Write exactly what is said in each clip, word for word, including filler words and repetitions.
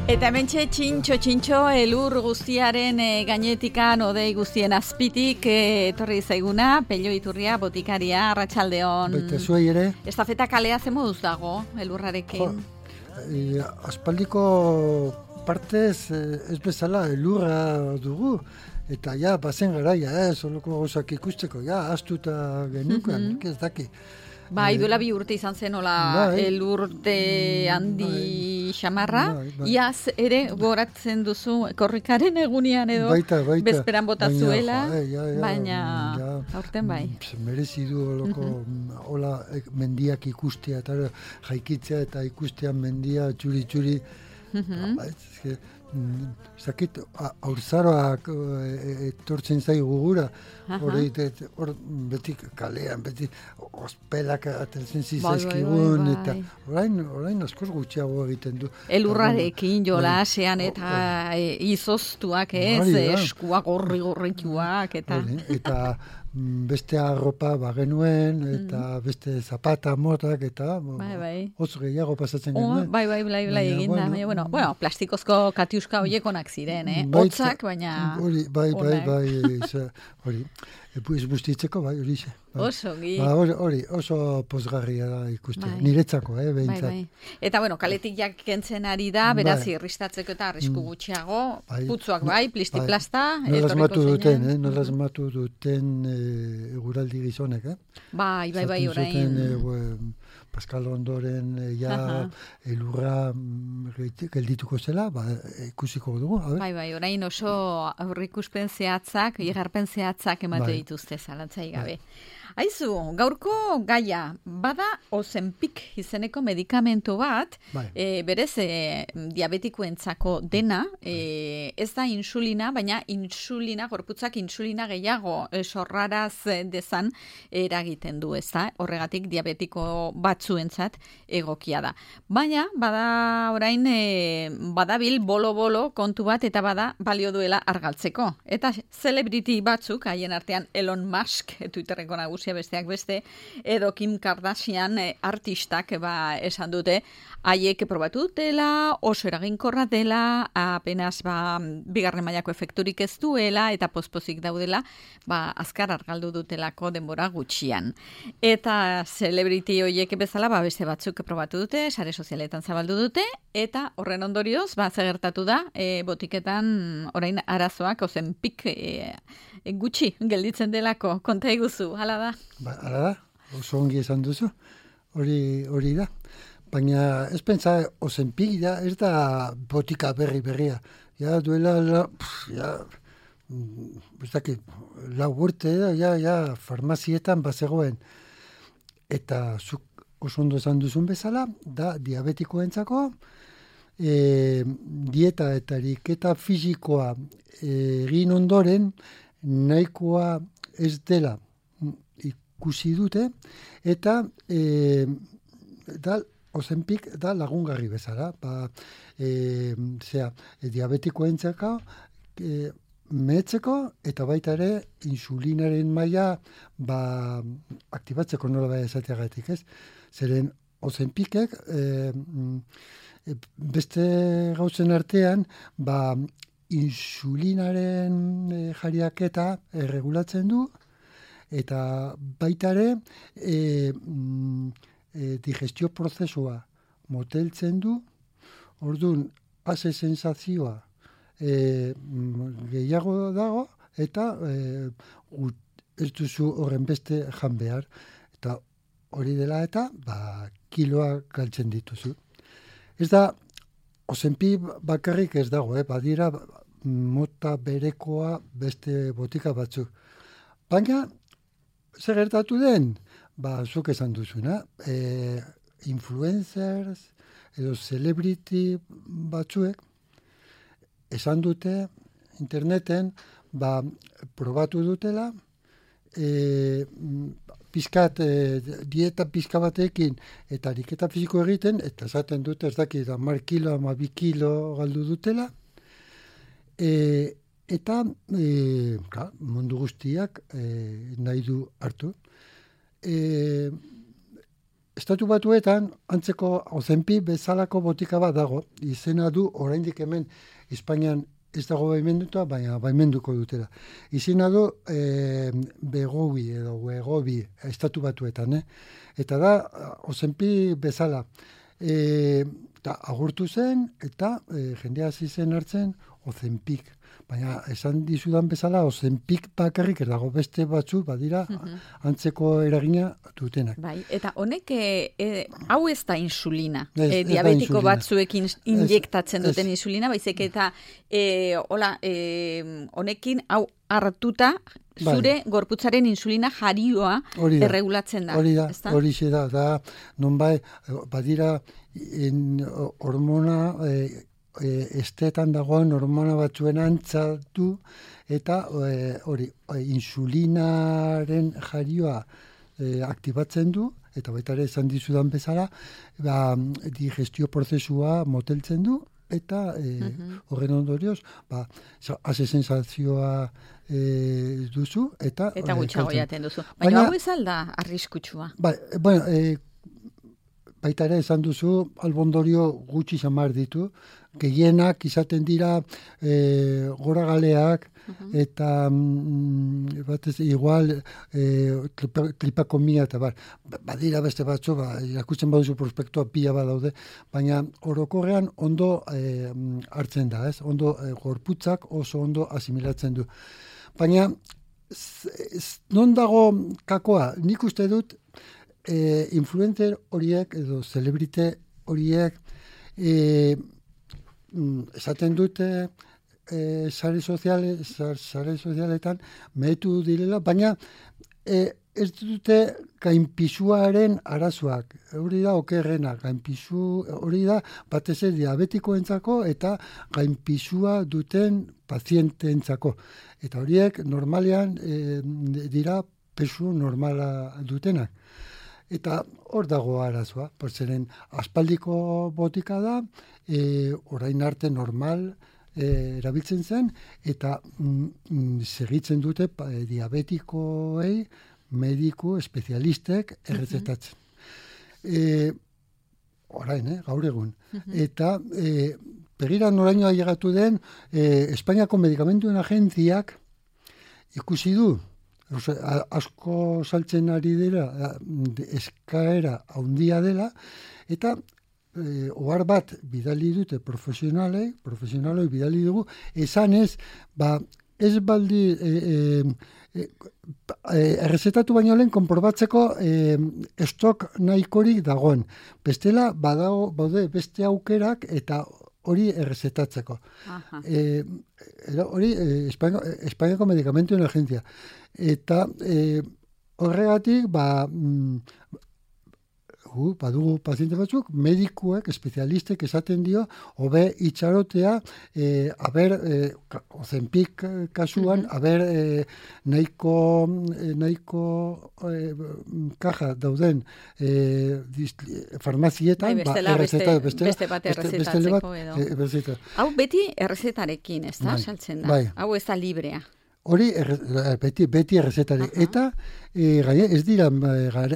Eta hementxe txintxo, txintxo, elur guztiaren e, gainetikan, odei guztien azpitik, e, etorri zaiguna, Pello Iturria, botikaria, arratsaldeon. Baita zuei ere. Estafeta kalea ze moduz dago, elurrarekin? Jo, e, aspaldiko partez ez bezala elurra dugu, eta ja, bazen garaia, eh, soloko gauzak ikusteko, ja, astuta genukan, mm-hmm. ez daki. Bai, duela bi urte izan zen, hola, bai, elurte handi bai, xamarra. Bai, bai. Iaz ere goratzen duzu korrikaren egunian edo baita, baita. bezperan botazuela, baina, ja, ja, baina ja, aurten bai. Merezi du holoko, mm-hmm. hola, mendiak ikustea, eta jaikitzea eta ikustean mendia txuri-txuri. Mm-hmm. Ba, ez, zakit, aurzaroak etortzen zaigu gura, hor beti kalean, beti ospelak atertzen zizazkigun, bai, bai, bai. Eta orain, orain askoz gutxiago egiten du. Elurrarekin jolasean eta e, izoztuak ez, bai, eskuak gorri-gorrituak, eta... Bai, eta beste arropa bagenuen, eta mm. beste zapata motak, eta bai, bai. oso gehiago pasatzen oh, genuen. Bai, bai, bai, bai, egin da. Bueno, bueno, bueno, plastikozko katiuska hoiekonak ziren, eh? Hotzak, baina... Hori, bai, bai, bai, hori. Ez bustitzeko, bai, hori xe. Oso, gi. Ba, hori, hori, oso pozgarria da ikuste. Bai. Niretzako, eh, behintzat. Bai, bai. Eta, bueno, kaletik jak kentzen ari da, beraz, bai. irristatzeko eta arrisku gutxiago, bai. putzuak bai, plisti-plasta. Bai. Nola asmatu duten, eh? Nola asmatu duten eh, eguraldi gizonek, eh? Bai, bai, bai, orain. Zaten zuten, eh, Pascal ondoren, eh, ja, elurra geldituko zela, ba, ikusiko dugu, a ber? Bai, bai, orain oso aurrikuspen zehatzak, igarpen zehatzak emate bai. dituzte, zalantzai gabe. Bai. Aizu, gaurko gaia, bada Ozempic izeneko medikamentu bat, bai. e, berez e, diabetikoentzako dena, e, ez da insulina, baina insulina, gorputzak insulina gehiago e, sorraraz dezan eragiten du, ez da? Horregatik diabetiko batzuentzat egokia da. Baina, bada orain, e, badabil bolo-bolo kontu bat, eta bada balio duela argaltzeko. Eta celebrity batzuk, haien artean Elon Musk, Twitterreko nagusia besteak beste, edo Kim Kardashian eh, artistak ba, esan dute, haiek probatu dutela, oso eraginkorra dela, apenas ba, bigarren mailako efekturik ez duela, eta pospozik daudela, ba, azkar argaldu dutelako denbora gutxian. Eta celebrity hoiek bezala, ba, beste batzuk probatu dute, sare sozialetan zabaldu dute, eta horren ondorioz, ba, zegertatu da, e, botiketan orain arazoak, Ozempic e, e, gutxi gelditzen delako, konta iguzu, hala da? Ba, hala da, oso ongi esan duzu, hori, hori da. Baina ez pentsa Ozempic da, ez da botika berri berria. Ja, duela, la, pff, ja, ez dakit, lau urte da, ja, ja, farmazietan bazegoen. Eta zuk oso ondo esan duzun bezala, da diabetikoentzako, e, dieta eta ariketa fisikoa egin ondoren, nahikoa ez dela ikusi dute, eta e, da, Ozempic da lagungarri bezala. Ba, e, zera, e, diabetikoentzako e, mehetzeko eta baita ere insulinaren maila ba, aktibatzeko nola bai esateagatik, ez? Zeren Ozempicek e, beste gauzen artean ba, insulinaren e, jariaketa erregulatzen du, eta baita ere e, e, digestio prozesua moteltzen du, orduan ase sensazioa e, gehiago dago, eta e, ez duzu horren beste jan behar, eta hori dela eta ba, kiloa galtzen dituzu. Ez da, Ozempic bakarrik ez dago, eh? Badira mota berekoa beste botika batzuk. Baina, zer gertatu den? Ba, zuk esan duzuna, e, influencers edo celebrity batzuek esan dute interneten, ba, probatu dutela, e, pizkat, e, dieta pizka batekin eta ariketa fisiko egiten, eta esaten dute, ez dakit, hamar kilo, hamabi kilo galdu dutela, e, eta e, ka, mundu guztiak e, nahi du hartu. E, Estatu Batuetan antzeko Ozempic bezalako botika bat dago, izena du oraindik hemen Espainian ez dago baimenduta, baina baimenduko dutela. Izena du e, Begobi edo Wegobi Estatu Batuetan, eh? Eta da Ozempic bezala. E, eta agurtu zen, eta e, jendea hasi zen hartzen Ozempic. Baina esan dizudan bezala, Ozempic bakarrik dago beste batzu, badira, uh-huh. antzeko eragina dutenak. Bai, eta honek, e, e, hau ez da insulina. Ez, e, ez diabetiko insulina. batzuekin injektatzen Ez, duten ez. insulina, baizik eta e, hola, e, honekin hau hartuta, zure bai. gorputzaren insulina jarioa erregulatzen da. Hori da, hori da, da, nonbai, badira, en, hormona, e, E, estetan dagoen hormona batzuen antzatu eta hori e, insulinaren jarioa e, aktibatzen du eta baita ere esan dizudan bezala ba, digestio prozesua moteltzen du eta e, uh-huh. horren ondorioz ba, haze sensazioa e, duzu eta eta gutxago jaten duzu. Baina hau ez alda arriskutsua. Ba, bueno, e, baita ere esan duzu albondorio gutxi samar ditu, gehienak izaten dira e, gora galeak uh-huh. eta mm, batez igual e, klipakomia eta bar. Badira beste batzu, ba, irakutzen baduzu prospektua pila bat daude, baina orokorrean ondo e, hartzen da, ez? Ondo e, gorputzak oso ondo asimilatzen du. Baina z, z, non dago kakoa? Nik uste dut E, influencer horiek edo celebrite horiek e, esaten dute e, sare soziale, sare sozialetan mehetu direla, baina e, ez dute gainpisuaren arazoak. Hori da okerrena, gainpisu hori da batez ere diabetikoentzako eta gainpisua duten pazienteentzako. Eta horiek normalean e, dira pesu normala dutenak. Eta hor dago arazoa, portzeren aspaldiko botika da, e, orain arte normal e, erabiltzen zen, eta mm, segitzen dute pa, e, diabetikoei mediku espezialistek errezetatzen. E, orain, eh, gaur egun. Eta e, begira noraino ailegatu den, e, Espainiako Medikamentuen Agentziak ikusi du, asko saltzen ari dira, eskaera handia dela, eta e, ohar bat bidali dute profesionalei, profesionalei bidali dugu, esan ez, ba, ez baldi e, e, e, errezetatu baino lehen konprobatzeko e, estok nahikorik dagoen. Bestela, badago, baude beste aukerak eta hori errezetatzeko. E, hori e, Espainiako Medikamentuen Agentzia. Eta e, horregatik, ba, mm, uh, badugu paziente batzuk, medikuek, espezialistek esaten dio, hobe itxarotea, e, aber, e, Ozempic kasuan, uh-huh. aber, e, nahiko, e, nahiko e, kaja dauden e, farmazietan, ba, errezeta, beste, beste bat errezetatzeko edo. E, Hau beti errezetarekin, ez da, saltzen da. Bai. Hau ez da librea. Hori erre, beti, beti errezetari. Uh-huh. Eta e, gai, ez dira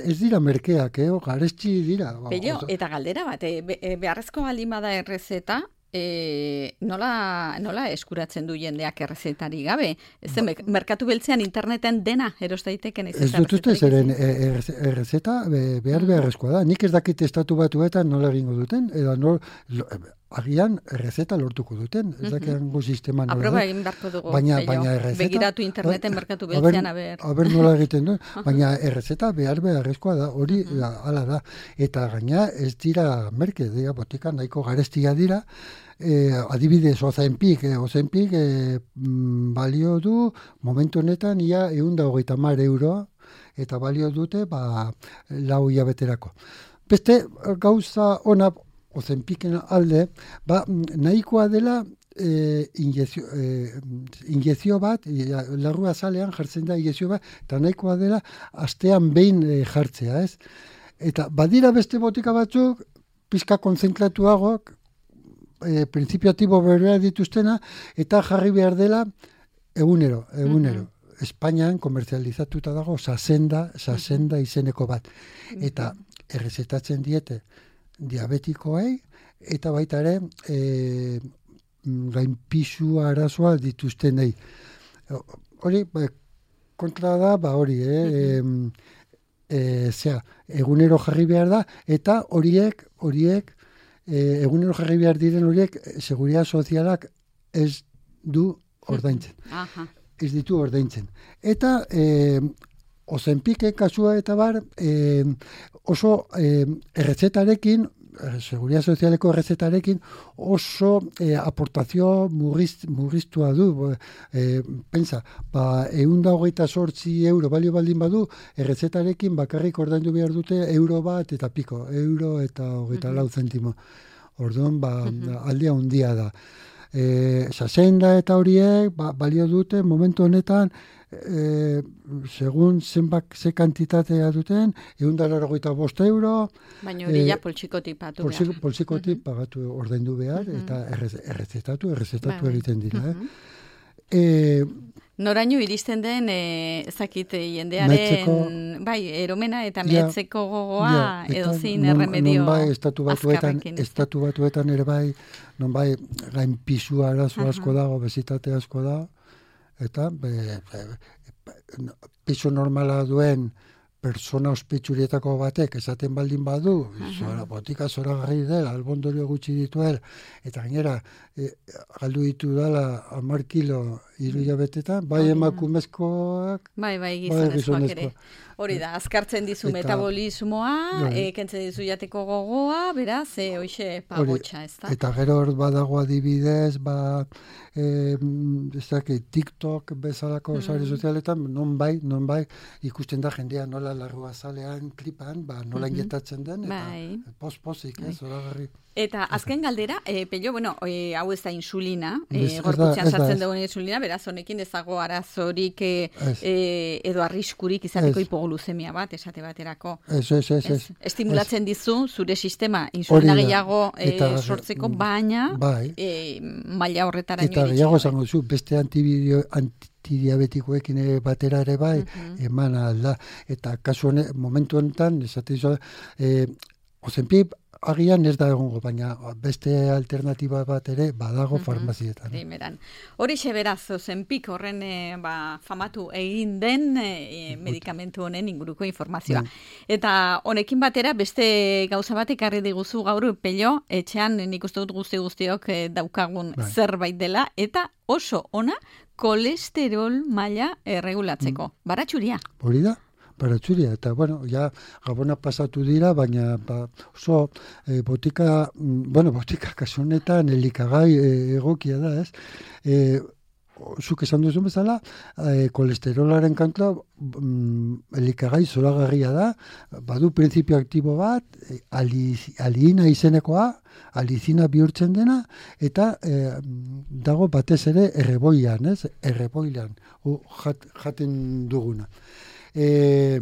ez dira merkeak, eh? Garesti dira. Pello, eta galdera bat, e, be, beharrezko baldin bada errezeta, e, nola, nola eskuratzen du jendeak errezetari gabe? Ez ba, merkatu beltzean interneten dena eros daiteken ez ez dut uste zeren errezeta behar beharrezkoa da. Nik ez dakit estatu batuetan nola egingo duten, edo nol, agian errezeta lortuko duten, ez dakiango sistema nola. Aproba egin beharko dugu, baina, baina errezeta, begiratu interneten merkatu beltzean, aber. Aber nola egiten du, baina errezeta behar beharrezkoa da, hori uh-huh. da, ala da. Eta gaina ez dira merke, dira botika nahiko garestia dira, eh, adibidez Ozempic, eh, Ozempic eh, balio du momentu honetan ia ehun eta hogeita hamar euro, eta balio dute ba, lau hilabeterako. Beste gauza ona Ozempicen alde, ba, nahikoa dela e, injezio, e, injezio bat, larrua zalean jartzen da injezio bat, eta nahikoa dela astean behin e, jartzea, ez? Eta badira beste botika batzuk, pizka konzentratuagoak, e, printzipio atibo berbera dituztena, eta jarri behar dela egunero, egunero. Mm-hmm. Espainian komerzializatuta dago Sasenda, Sasenda izeneko bat. Eta errezetatzen diete diabetikoei, eta baita ere, e, gainpisu arazoa dituztenei. Hori, ba, kontra da, ba hori, eh? Mm-hmm. E, e, zera, egunero jarri behar da, eta horiek, horiek, e, egunero jarri behar diren horiek, seguridad sozialak ez du ordaintzen. Aha. Ez ditu ordaintzen. Eta, e, Ozenpike kasua eta bar, e, oso e, errezetarekin, seguridad sozialeko errezetarekin oso e, aportazio murriz, murriztua du. E, pensa, ba, eunda hogeita sortzi euro balio baldin badu, errezetarekin bakarrik ordaindu behar dute euro bat eta piko, euro eta hogeita lau zentimo. Orduan, ba, aldea handia da. E, Sasenda eta horiek ba, balio dute momentu honetan, E, segun zenbak ze kantitatea duten, egun da larogeita bost euro. Baina hori ja poltsikotik patu poltsik, behar. Poltsikotik uh-huh. pagatu ordaindu behar, uh-huh. eta errezetatu, errezetatu ba, egiten dira. Uh-huh. eh? E, Noraino iristen den, e, ezakit jendearen, metzeko, bai, eromena eta mehetzeko gogoa, ja, edo zin erremedio non bai, estatu batuetan, estatu batuetan ere bai, non bai, gain pisu arazo uh-huh. asko dago, bezitate asko dago, eta be, be, be, pisu normala duen persona ospetsurietako batek esaten baldin badu, zora, botika zoragarri dela, albondorio gutxi dituela, eta gainera, e, galdu ditu dela hamar kilo hiru hilabetetan, bai emakumezkoak, bai, bai, gizonezkoak ere. Hori da, azkartzen dizu eta, metabolismoa, e, kentzen dizu jateko gogoa, beraz, e, hoxe pagotxa, ez da? Eta gero hor badago adibidez, ba, e, ez daki, TikTok bezalako mm. sare sozialetan, non bai, non bai, ikusten da jendea nola larrua zalean klipan, ba, nola mm-hmm. injetatzen den, eta bai. Pos-posik, ez, zoragarri. Eta azken galdera, e, pello, bueno, e, hau ez da insulina, e, gorputzean sartzen dugun insulina, beraz honekin ezago arazorik e, e, edo arriskurik izateko hipoglucemia bat, esate baterako. Ez, ez, ez, ez. Estimulatzen dizu zure sistema insulina gehiago e, sortzeko, baina bai. e, maila horretara eta gehiago esango zu, beste antibio, antidiabetikoekin batera ere bai, uh-huh. eman alda. Eta kasu honen, momentu honetan, esate dizu, e, Ozenpik agian ez da egongo, baina beste alternatiba bat ere badago uh-huh. farmazietan. Primeran. Hori beraz, Ozenpik horren e, ba, famatu egin den e, medikamentu honen inguruko informazioa. Ben. Eta honekin batera beste gauza bat ekarri diguzu gaur, pello, etxean nik uste dut guzti guztiok e, daukagun ben. zerbait dela, eta oso ona kolesterol maila erregulatzeko. Mm. Baratxuria. Hori da? Baratzuria, eta bueno, ja Gabona pasatu dira, baina ba, oso e, botika, bueno, botika kasunetan elikagai e, egokia da, ez? E, zuk esan duzu bezala, e, kolesterolaren kantua mm, elikagai zoragarria da, badu printzipio aktibo bat, e, ali, aliina izenekoa, alizina bihurtzen dena, eta e, dago batez ere erreboian, ez? Erreboilan, jat, jaten duguna. E,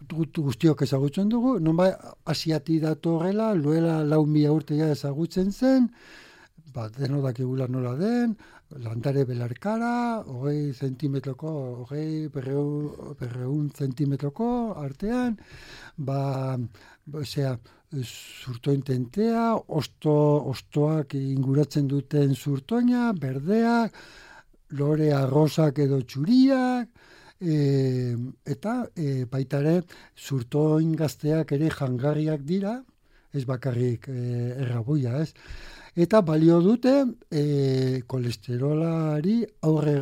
guztiok ezagutzen dugu, nonbait asiati datorrela, luela lau mila urtea ezagutzen zen, ba, deno dakigula nola den, landare belarkara, hogei zentimetroko, hogei berreun zentimetroko artean, ba, osea, zurtoin tentea, osto, ostoak inguratzen duten zurtoina, berdeak, lore arrosak edo txuriak, E, eta e, baita ere zurtoin gazteak ere jangarriak dira, ez bakarrik e, erraboia, ez? Eta balio dute e, kolesterolari aurre,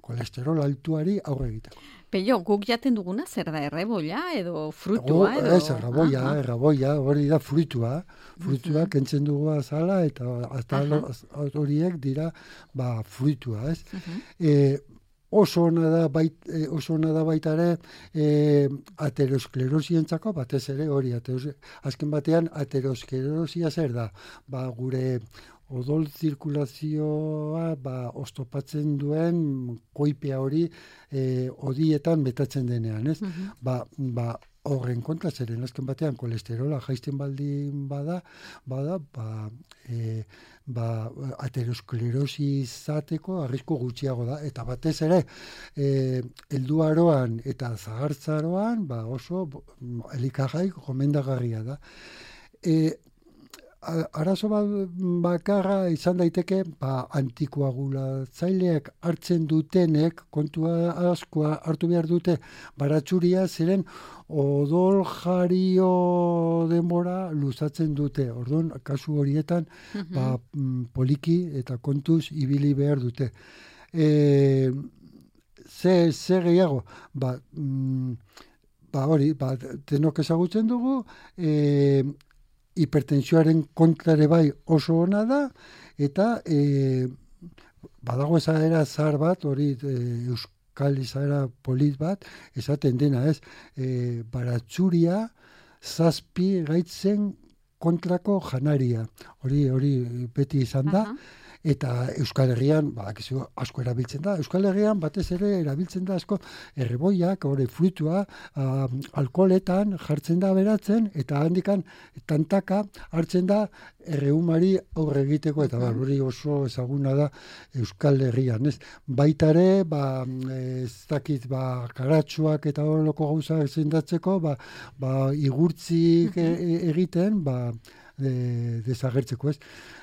kolesterol altuari aurre egiteko. Pello, guk jaten duguna zer da, erreboia edo frutua? Edo... Ez, erraboia, ah, erraboia, hori da frutua. Frutua uh-huh. kentzen dugu azala eta uh-huh. horiek dira ba, frutua, ez? Uh-huh. E, Oso ona da, bait, eh, oso ona da baita ere eh, aterosklerosientzako, batez ere hori, ateros, azken batean aterosklerosia zer da, ba, gure odol zirkulazioa ba, oztopatzen duen koipea hori eh, odietan betatzen denean, ez? Uh-huh. Ba, ba, horren kontra, zeren azken batean kolesterola jaisten baldin bada, bada, ba, e, ba, aterosklerosi izateko arrisku gutxiago da, eta batez ere, e, helduaroan eta zahartzaroan, ba, oso elikagai gomendagarria da. E, Arazo bakarra izan daiteke, ba, antikoagulatzaileak hartzen dutenek, kontua askoa hartu behar dute, baratxuria ziren odol jario denbora luzatzen dute. Orduan, kasu horietan, mm-hmm. ba, poliki eta kontuz ibili behar dute. E, ze, ze gehiago, ba, mm, ba hori, ba, denok ezagutzen dugu, e, hipertensioaren kontrare bai oso ona da, eta e, badago ezaera zahar bat, hori e, euskal izaera polit bat, esaten dena ez, e, baratxuria zazpi gaitzen kontrako janaria. Hori hori beti izan da, uh-huh. Eta Euskal Herrian, badakizu, asko erabiltzen da. Euskal Herrian batez ere erabiltzen da asko erreboiak, hori frutua, uh, alkoholetan jartzen da beratzen, eta handikan tantaka hartzen da erreumari aurre egiteko, eta bar, hori oso ezaguna da Euskal Herrian, ez? Baitare, ba, ez dakit, ba, karatsuak eta horreloko gauza zendatzeko, ba, ba, igurtzik e- egiten, ba, de, desagertzeko, ez?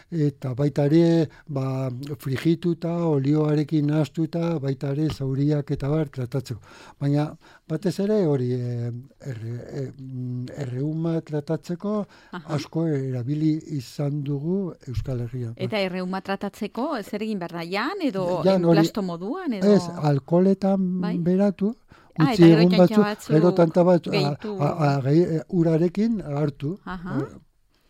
Eta baita ere, ba, frigituta, olioarekin nahaztuta, baita ere zauriak eta bar tratatzeko. Baina batez ere hori e, erre, erreuma tratatzeko Aha. asko erabili izan dugu Euskal Herrian. Eta erreuma tratatzeko zer egin behar da, jan edo enplasto moduan? Edo... Ez, alkoholetan bai? beratu, ah, utzi egun batzu, gero tanta batzu, urarekin hartu. Aha.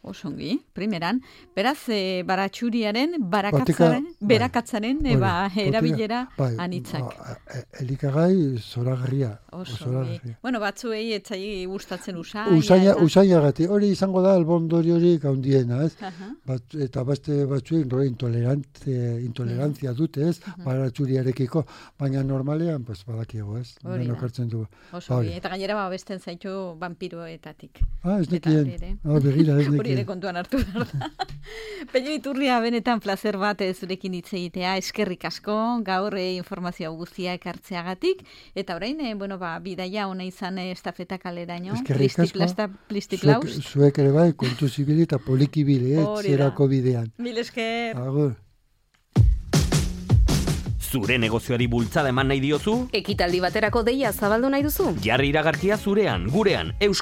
Osongi, primeran. Beraz, e, baratxuriaren, barakatzaren, Batika, berakatzaren, bai, eba, erabilera bai, anitzak. Ba, elikagai zoragarria. Osongi. Bueno, batzuei etzai gustatzen usaina. Usaina, eta... usaina gati. Hori izango da, albondori hori gaundiena, ez? Uh-huh. Bat, eta beste batzuek, no, intolerantzia dute, ez? Uh-huh. Baratxuriarekiko. Baina normalean, pues, badakiego, ez? Hori da. Osongi. Eta gainera, ba, besten zaitu vampiroetatik. Ah, ez nekien. Ah, begira, ez nekien. Kontuan hartu behar da. Pello Iturria, benetan placer bat zurekin hitz egitea, eskerrik asko, gaur e, informazio guztia ekartzeagatik, eta orain, e, bueno, ba, bidaia ona izan e, estafeta kaleraino, plistik-plasta, plistik-laust. Zuek, zuek ere bai, kontu zibili eta polikibili, eh, zerako bidean. Mil esker. Agur. Zure negozioari bultzada eman nahi diozu? Ekitaldi baterako deia zabaldu nahi duzu? Jarri iragarkia zurean, gurean, Euskal